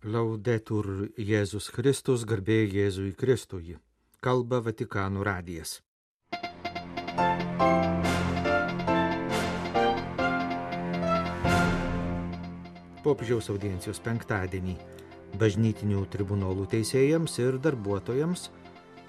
Laudetur Jėzus Kristus, garbė Jėzui Kristui. Kalba Vatikano radijas. Popiežiaus audiencijos penktadienį bažnytinių tribunolų teisėjams ir darbuotojams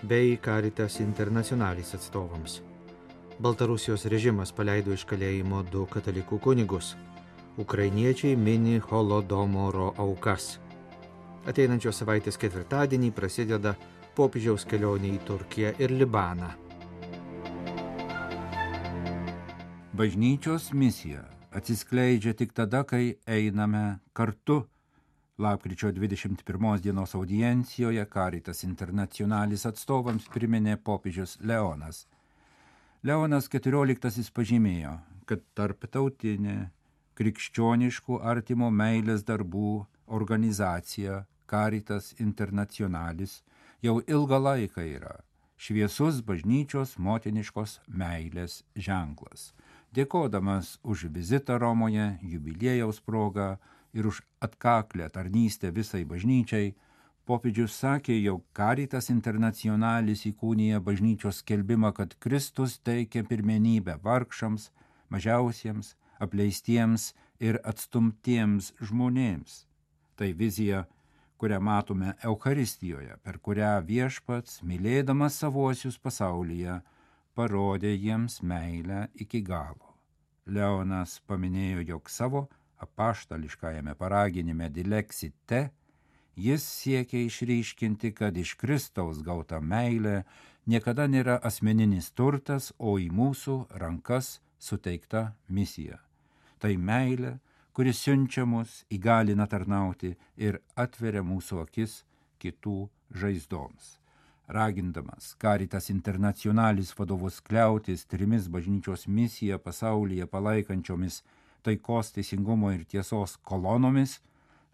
bei Caritas Internationalis atstovams. Baltarusijos režimas paleido iš kalėjimo 2 katalikų kunigus. Ukrainiečiai mini Holodomoro aukas. Ateinančios savaitės ketvirtadienį prasideda popiežiaus kelionė į Turkiją ir Libaną. Bažnyčios misija atsiskleidžia tik tada, kai einame kartu. Lapkričio 21 dienos audiencijoje Caritas Internationalis atstovams priminė popiežius Leonas. Leonas XIV pažymėjo, kad tarptautinė krikščioniškų artimo meilės darbų organizacija Caritas Internationalis jau ilgą laiką yra šviesus bažnyčios motiniškos meilės ženklas. Dėkodamas už vizitą Romoje, jubiliejaus progą ir už atkaklę tarnystę visai bažnyčiai, popiežius sakė, jog Caritas Internationalis įkūnija bažnyčios skelbimą, kad Kristus teikia pirmenybę vargšams, mažiausiems, apleistiems ir atstumtiems žmonėms. Tai vizija, kurią matome Eucharistijoje, per kurią Viešpats, mylėdamas savuosius pasaulyje, parodė jiems meilę iki galo. Leonas paminėjo, jog savo apaštališkajame paraginime Dilexite jis siekia išryškinti, kad iš Kristaus gauta meilė niekada nėra asmeninis turtas, o į mūsų rankas suteikta misija. Tai meilė, kuris siunčia mus, įgalina tarnauti ir atveria mūsų akis kitų žaizdoms. Ragindamas Caritas Internationalis vadovus kliautis 3 bažnyčios misiją pasaulyje palaikančiomis taikos, teisingumo ir tiesos kolonomis,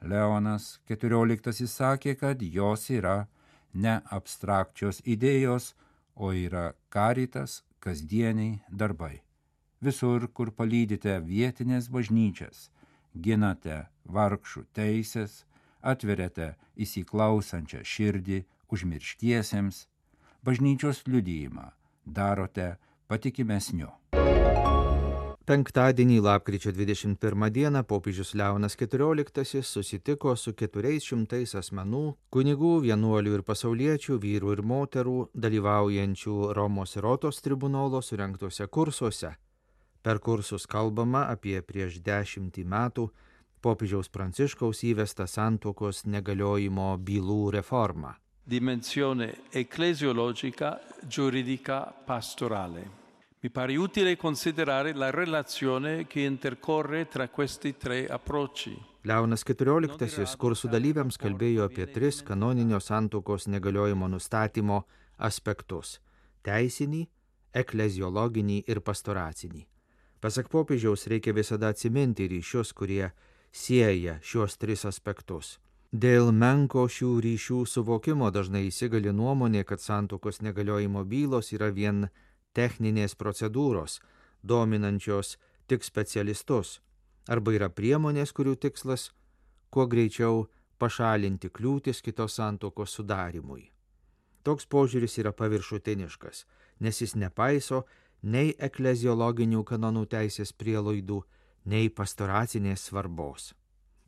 Leonas XIV sakė, kad jos yra ne abstrakčios idėjos, o yra Caritas kasdieniai darbai. Visur, kur palydite vietinės bažnyčias, ginate vargšų teisės, atveriate įsiklausančią širdį užmirštiesiems, bažnyčios liudijimą darote patikimesniu. Penktadienį, lapkričio 21 dieną, popiežius Leonas XIV susitiko su 400 asmenų, kunigų, vienuolių ir pasauliečių, vyrų ir moterų, dalyvaujančių Romos ir Rotos tribunolo surengtuose kursuose. Per kursus kalbama apie prieš 10 metų popiežiaus Pranciškaus įvestą santuokos negaliojimo bylų reformą. Dimensione ecclesiologica, giuridica, pastorale. Mi pare utile considerare la relazione che intercorre tra questi 3 approcci. Leonas XIV kursų dalyviams kalbėjo apie 3 kanoninio santuokos negaliojimo nustatymo aspektus – teisinį, ekleziologinį ir pastoracinį. Pasak popiežiaus, reikia visada atsiminti ryšius, kurie sieja šios 3 aspektus. Dėl menko šių ryšių suvokimo dažnai įsigali nuomonė, kad santuokos negaliojimo bylos yra vien techninės procedūros, dominančios tik specialistus, arba yra priemonės, kurių tikslas kuo greičiau pašalinti kliūtis kitos santuokos sudarimui. Toks požiūris yra paviršutiniškas, nes jis nepaiso nei ekleziologinių kanonų teisės prielaidų, nei pastoracinės svarbos.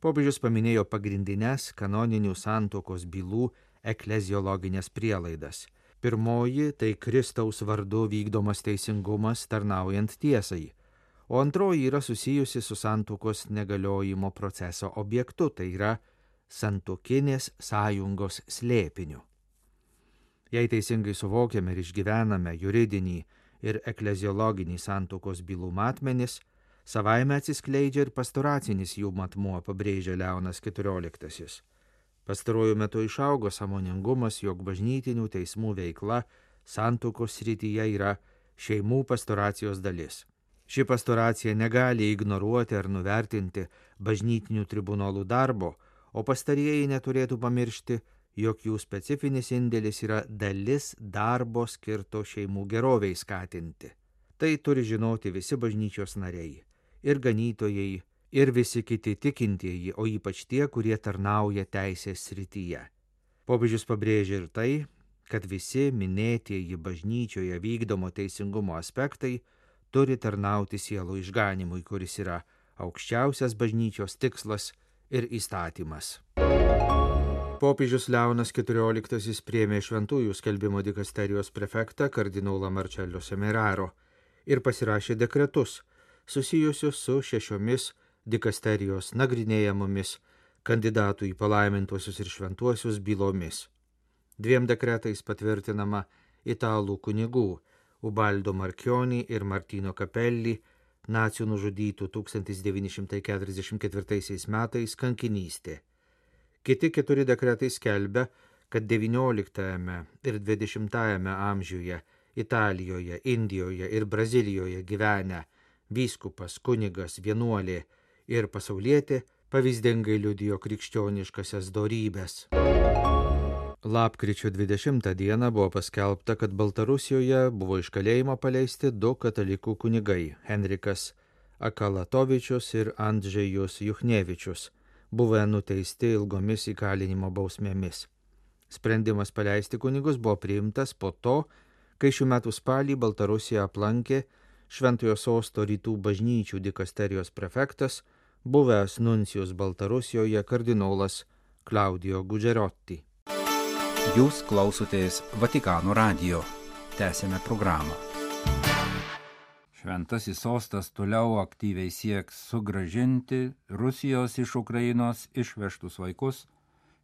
Popiežius paminėjo pagrindines kanoninių santuokos bylų ekleziologinės prielaidas. Pirmoji – tai Kristaus vardu vykdomas teisingumas tarnaujant tiesai, o antroji yra susijusi su santuokos negaliojimo proceso objektu, tai yra santuokinės sąjungos slėpiniu. Jei teisingai suvokiame ir išgyvename juridinį ir ekleziologinį santuokos bylų matmenis, savaime atsiskleidžia ir pastoracinis jų matmuo, pabrėžia Leonas XIV. Pastaruoju metu išaugo sąmoningumas, jog bažnytinių teismų veikla santuokos srityje yra šeimų pastoracijos dalis. Ši pastoracija negali ignoruoti ar nuvertinti bažnytinių tribunolų darbo, o pastarieji neturėtų pamiršti, jog jų specifinis indėlis yra dalis darbo skirto šeimų geroviai skatinti. Tai turi žinoti visi bažnyčios nariai, ir ganytojai, ir visi kiti tikintieji, o ypač tie, kurie tarnauja teisės srityje. Popiežius pabrėžia ir tai, kad visi minėtieji bažnyčioje vykdomo teisingumo aspektai turi tarnauti sielų išganimui, kuris yra aukščiausias bažnyčios tikslas ir įstatymas. Popiežius Leonas XIV priėmė šventųjų skelbimo dikasterijos prefektą kardinolą Marcello Semeraro ir pasirašė dekretus susijusius su 6 dikasterijos nagrinėjamomis kandidatų į palaimintuosius ir šventuosius bylomis. 2 dekretais patvirtinama italų kunigų Ubaldo Marchioni ir Martino Capelli nacių nužudytų 1944 metais kankinystė. Kiti 4 dekretai skelbia, kad XIX ir XX amžiuje Italijoje, Indijoje ir Brazilijoje gyvenę vyskupas, kunigas, vienuolė ir pasaulietė pavyzdingai liudijo krikščioniškasias dorybes. Lapkričio 20 dieną buvo paskelbta, kad Baltarusijoje buvo iš kalėjimo paleisti 2 katalikų kunigai – Henrikas Akalatovičius ir Andžejus Juchnevičius, buvę nuteisti ilgomis įkalinimo bausmėmis. Sprendimas paleisti kunigus buvo priimtas po to, kai šių metų spalį Baltarusiją aplankė Šventojo Sosto rytų bažnyčių dikasterijos prefektas, buvęs nuncijus Baltarusijoje kardinolas Claudio Gugerotti. Jūs klausotės Vatikano radijo. Tęsėme programą. Šventasis sostas toliau aktyviai sieks sugrąžinti Rusijos iš Ukrainos išvežtus vaikus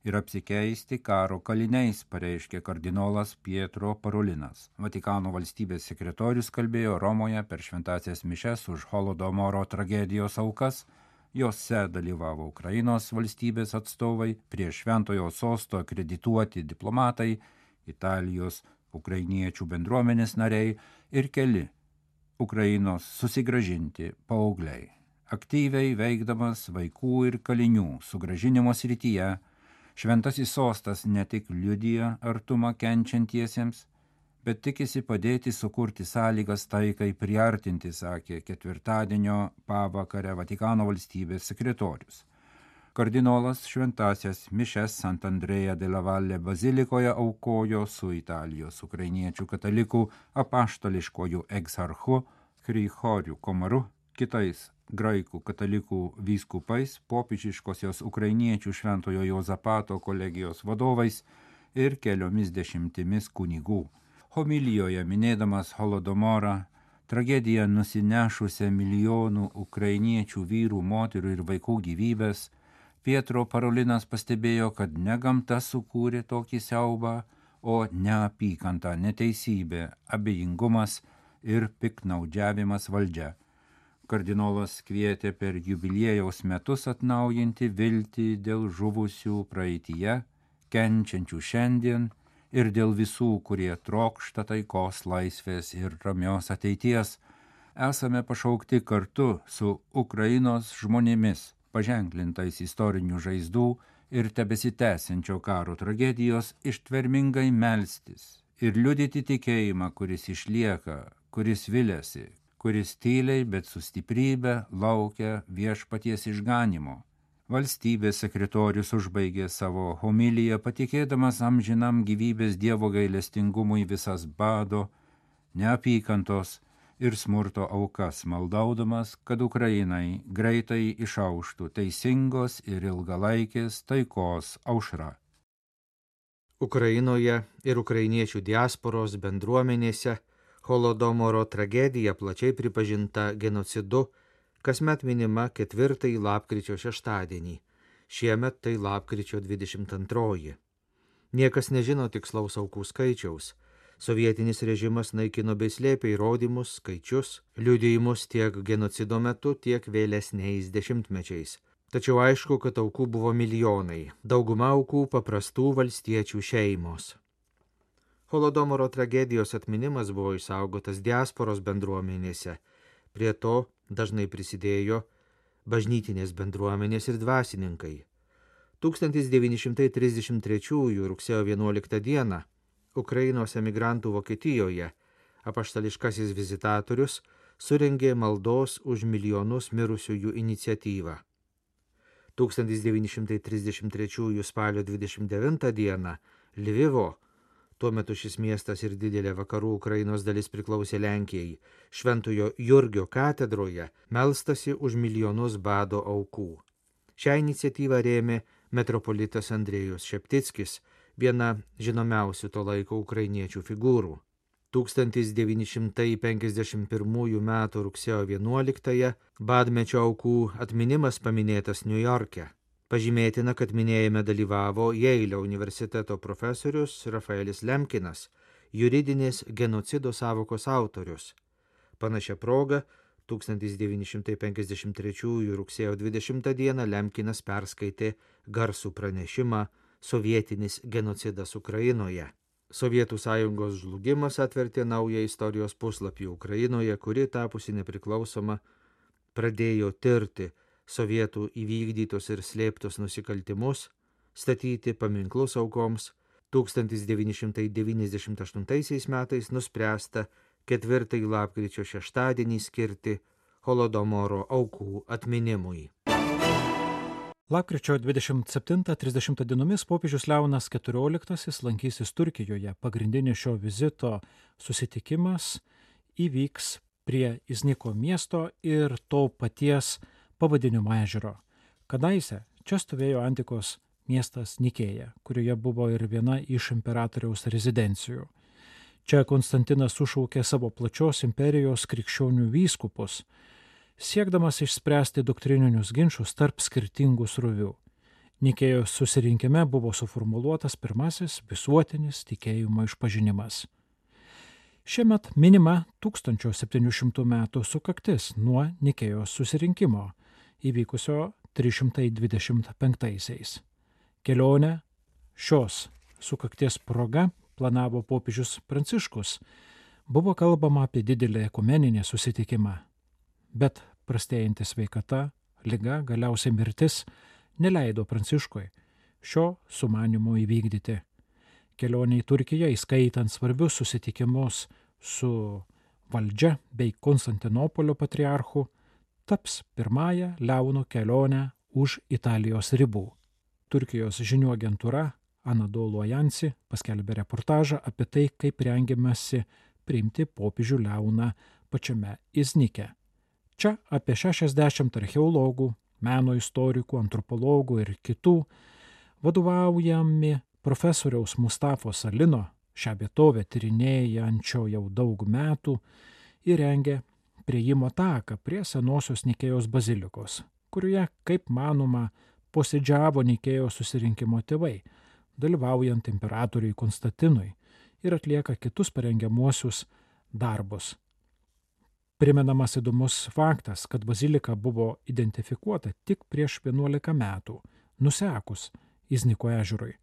ir apsikeisti karo kaliniais, pareiškė kardinolas Pietro Parolinas. Vatikano valstybės sekretorius kalbėjo Romoje per šventąsias mišes už Holodomoro tragedijos aukas. Jose dalyvavo Ukrainos valstybės atstovai, prie Šventojo sosto akredituoti diplomatai, Italijos ukrainiečių bendruomenės nariai ir keli Ukrainos susigrąžinti paaugliai. Aktyviai veikdamas vaikų ir kalinių sugrąžinimo srityje, Šventasis sostas ne tik liudija artumą kenčiantiesiems, bet tikisi padėti sukurti sąlygas taikai priartinti, sakė ketvirtadienio pavakarę Vatikano valstybės sekretorius. Kardinolas šventąsias mišes Sant'Andrea della Valle bazilikoje aukojo su Italijos ukrainiečių katalikų apaštališkojų egzarchu Grigoriu Komaru, kitais graikų katalikų vyskupais, popiežiškosios ukrainiečių Šventojo Jozapato kolegijos vadovais ir keliomis dešimtimis kunigų. Homilijoje minėdamas Holodomorą, tragediją nusinešusią milijonų ukrainiečių vyrų, moterų ir vaikų gyvybės, Pietro Parolinas pastebėjo, kad ne gamta sukūrė tokį siaubą, o neapykanta, neteisybė, abejingumas ir piktnaudžiavimas valdžia. Kardinolas kvietė per jubiliejaus metus atnaujinti viltį dėl žuvusių praeityje, kenčiančių šiandien ir dėl visų, kurie trokšta taikos, laisvės ir ramios ateities. Esame pašaukti kartu su Ukrainos žmonėmis, paženklintais istorinių žaizdų ir tebesitęsiančio karo tragedijos, ištvermingai melstis ir liudyti tikėjimą, kuris išlieka, kuris viliasi, kuris tyliai, bet su stiprybe laukia viešpaties išganimo. Valstybės sekretorius užbaigė savo homiliją, patikėdamas amžinam gyvybės Dievo gailestingumui visas bado, neapykantos ir smurto aukas, maldaudamas, kad Ukrainai greitai išauštų teisingos ir ilgalaikės taikos aušra. Ukrainoje ir ukrainiečių diasporos bendruomenėse Holodomoro tragedija plačiai pripažinta genocidu, kasmet minima 4 lapkričio šeštadienį, šiemet tai lapkričio 22. Niekas nežino tikslaus aukų skaičiaus. Sovietinis režimas naikino bei slėpė įrodymus, skaičius, liudijimus tiek genocido metu, tiek vėlesniais dešimtmečiais. Tačiau aišku, kad aukų buvo milijonai, dauguma aukų paprastų valstiečių šeimos. Holodomoro tragedijos atminimas buvo išsaugotas diasporos bendruomenėse. Prie to dažnai prisidėjo bažnytinės bendruomenės ir dvasininkai. 1933 rugsėjo 11 dieną Ukrainos emigrantų Vokietijoje apaštališkasis vizitatorius surengė maldos už milijonus mirusiųjų iniciatyvą. 1933 spalio 29 dieną Lvivo, tuo metu šis miestas ir didelė vakarų Ukrainos dalis priklausė Lenkijai, Šventojo Jurgio katedroje melstasi už milijonus bado aukų. Šią iniciatyvą rėmė metropolitas Andrėjus Šeptickis, viena žinomiausių to laiko ukrainiečių figūrų. 1951 m. rugsėjo 11 badmečio aukų atminimas paminėtas Niujorke. Pažymėtina, kad minėjime dalyvavo Jeilio universiteto profesorius Rafaelis Lemkinas, juridinės genocido sąvokos autorius. Panašia proga 1953 rugsėjo 20 dieną Lemkinas perskaitė garsų pranešimą Sovietinis genocidas Ukrainoje. Sovietų sąjungos žlugimas atvertė naują istorijos puslapį Ukrainoje, kuri tapusi nepriklausoma pradėjo tirti sovietų įvykdytus ir slėptus nusikaltimus, statyti paminklus aukoms. 1998 metais nuspręsta 4 lapkričio šeštadienį skirti Holodomoro aukų atminimui. Lapkričio 27-30 dienomis popiežius Leonas XIV lankysis Turkijoje. Pagrindinis šio vizito susitikimas įvyks prie Izniko miesto ir to paties pavadinimo ežero. Kadaise čia stovėjo antikos miestas Nikėja, kurioje buvo ir viena iš imperatoriaus rezidencijų. Čia Konstantinas sušaukė savo plačios imperijos krikščionių vyskupus, siekdamas išspręsti doktrininius ginčus tarp skirtingų srovių. Nikėjos susirinkime buvo suformuluotas pirmasis visuotinis tikėjimo išpažinimas. Šiemet minima 1700 metų sukaktis nuo Nikėjos susirinkimo, įvykusio 325-aisiais. Kelionę šios sukakties proga planavo popiežius Pranciškus. Buvo kalbama apie didelį ekumeninį susitikimą, bet prastėjanti sveikata, liga, galiausiai mirtis neleido Pranciškui šio sumanimo įvykdyti. Kelionė į Turkiją, įskaitant svarbius susitikimus su valdžia bei Konstantinopolio patriarchu, taps pirmąją Leono kelionę už Italijos ribų. Turkijos žinių agentūra Anadolu Ajansi paskelbė reportažą apie tai, kaip rengiamasi priimti popiežių Leoną pačiame Iznike. Čia apie 60 archeologų, meno istorikų, antropologų ir kitų vadovaujami profesoriaus Mustafos Salino, šią vietovę tyrinėjančio jau daug metų, įrengė priėjimo taką prie senosios Nikėjos bazilikos, kurioje, kaip manoma, posėdžiavo Nikėjos susirinkimo tėvai, dalyvaujant imperatoriui Konstantinui ir atlieka kitus parengiamuosius darbus. Primenamas įdomus faktas, kad bazilika buvo identifikuota tik prieš 11 metų, nusekus Izniko ežerui.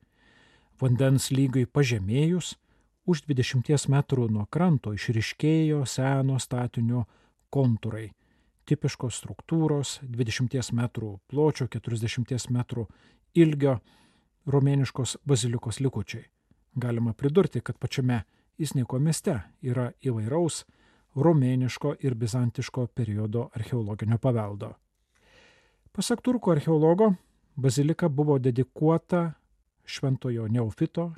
Vandens lygiui pažemėjus, už 20 metrų nuo kranto išryškėjo seno statinio kontūrai, tipiškos struktūros, 20 metrų pločio, 40 metrų ilgio romėniškos bazilikos likučiai. Galima pridurti, kad pačiame Izniko mieste yra įvairaus romėniško ir bizantiško periodo archeologinio paveldo. Pasak turkų archeologo, bazilika buvo dedikuota šventojo Neofito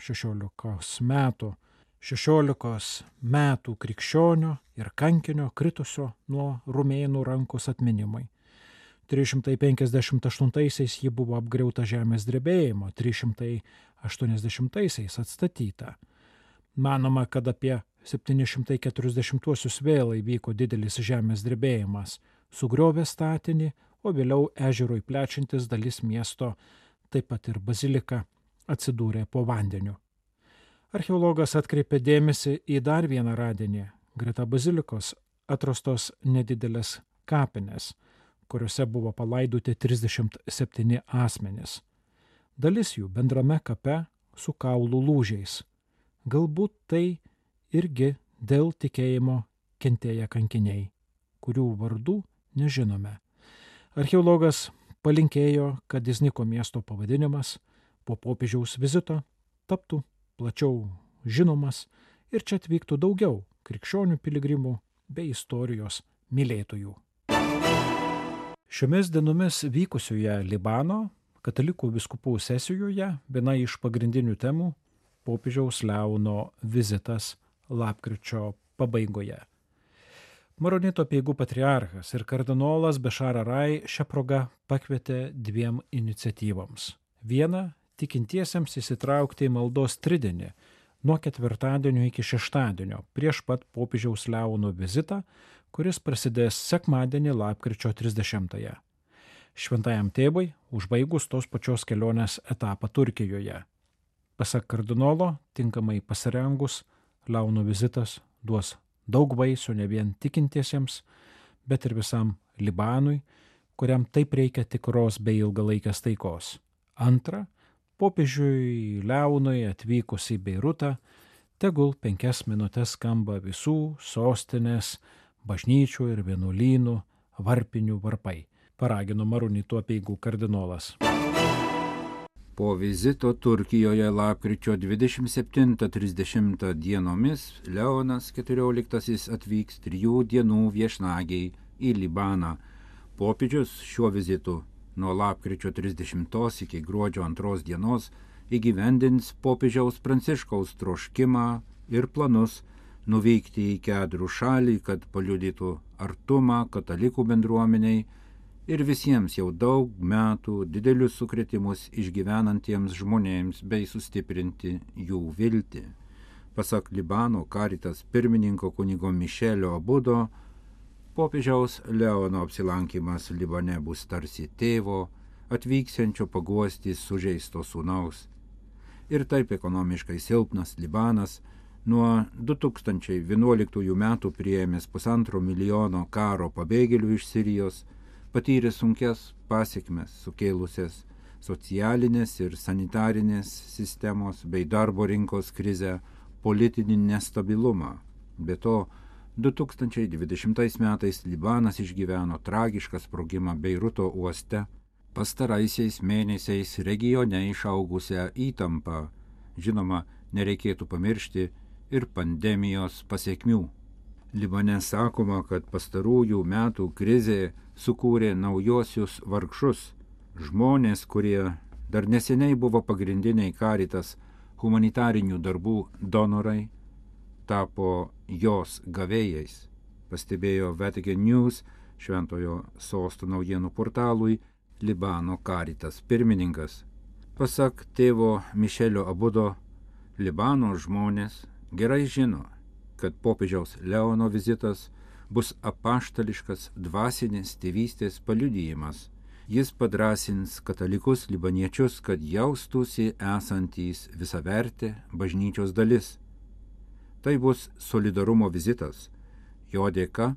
16 metų krikščionio ir kankinio kritusio nuo rumėnų rankos atminimui. 358-aisiais ji buvo apgriauta žemės drebėjimo, 380-aisiais atstatyta. Manoma, kad apie 740-uosius vėl įvyko didelis žemės drebėjimas, sugriovė statinį, o vėliau ežerui plečiantis dalis miesto, taip pat ir bazilika, atsidūrė po vandeniu. Archeologas atkreipė dėmesį į dar vieną radinį. Greta bazilikos atrastos nedidelės kapinės, kuriuose buvo palaidoti 37 asmenys. Dalis jų bendrame kape su kaulų lūžiais. Galbūt tai irgi dėl tikėjimo kentėję kankiniai, kurių vardų nežinome. Archeologas palinkėjo, kad Izniko miesto pavadinimas po popiežiaus vizito taptų plačiau žinomas ir čia atvyktų daugiau krikščionių piligrimų bei istorijos mylėtojų. Šiomis dienomis vykusioje Libano katalikų vyskupų sesijoje viena iš pagrindinių temų – popiežiaus Leono vizitas lapkričio pabaigoje. Maronito apeigų patriarchas ir kardinolas Bešar Arai šią progą pakvietė 2 iniciatyvoms. Viena – tikintiesiems įsitraukti į maldos tridienį nuo ketvirtadienio iki šeštadienio prieš pat popiežiaus Leono vizitą, kuris prasidės sekmadienį lapkričio 30-ąją. Šventajam tėvui užbaigus tos pačios kelionės etapą Turkijoje. Pasak kardinolo, tinkamai pasirengus, Leono vizitas duos daug vaisių ne vien tikintiesiems, bet ir visam Libanui, kuriam taip reikia tikros bei ilgalaikės taikos. Antra, popiežiui Leonui atvykus į Beirutą, tegul 5 minutes skamba visų sostinės, bažnyčių ir vienuolynų varpinių varpai, paragino Maronito apeigų kardinolas. Po vizito Turkijoje lapkričio 27-30 dienomis Leonas XIV atvyks 3 dienų viešnagiai į Libaną. Popiežius šiuo vizitu nuo lapkričio 30 iki gruodžio 2 dienos įgyvendins popiežiaus Pranciškaus troškimą ir planus nuvykti į Kedrų šalį, kad paliudytų artumą katalikų bendruomeniai ir visiems jau daug metų didelius sukrėtimus išgyvenantiems žmonėms bei sustiprinti jų viltį. Pasak Libano Caritas pirmininko kunigo Mišelio Abudo, popiežiaus Leono apsilankymas Libane bus tarsi tėvo, atvyksiančio paguosti sužeisto sūnaus. Ir taip ekonomiškai silpnas Libanas nuo 2011 metų priėmęs 1,5 milijono karo pabėgėlių iš Sirijos, patyrė sunkias pasekmes sukėlusias socialinės ir sanitarinės sistemos bei darbo rinkos krizę, politinį nestabilumą. Be to, 2020 metais Libanas išgyveno tragišką sprogimą Beiruto uoste, pastaraisiais mėnesiais regione išaugusią įtampą. Žinoma, nereikėtų pamiršti ir pandemijos pasekmių. Libane sakoma, kad pastarųjų metų krizė sukūrė naujosius vargšus, žmonės, kurie dar neseniai buvo pagrindiniai Caritas humanitarinių darbų donorai, tapo jos gavėjais, pastebėjo Vatican News Šventojo Sosto naujienų portalui Libano Caritas pirmininkas. Pasak tėvo Mišelio Abudo, Libano žmonės gerai žino, kad popiežiaus Leono vizitas bus apaštališkas dvasinės tėvystės paliudijimas. Jis padrąsins katalikus libaniečius, kad jaustųsi esantys visavertė bažnyčios dalis. Tai bus solidarumo vizitas. Jo dėka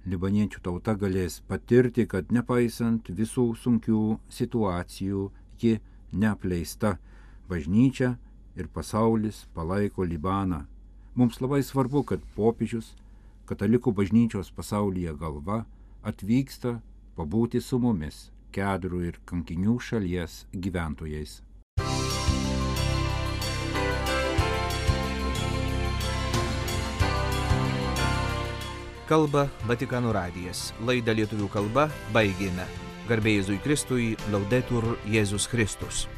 libaniečių tauta galės patirti, kad nepaisant visų sunkių situacijų, ji neapleista. Bažnyčia ir pasaulis palaiko Libaną. Mums labai svarbu, kad popiežius, katalikų bažnyčios pasaulyje galva, atvyksta pabūti su mumis, Kedrų ir kankinių šalies gyventojais. Kalba Vatikano radijas. Laidą lietuvių kalba baigėme. Garbė Jėzui Kristui, Laudetur Jėzus Kristus.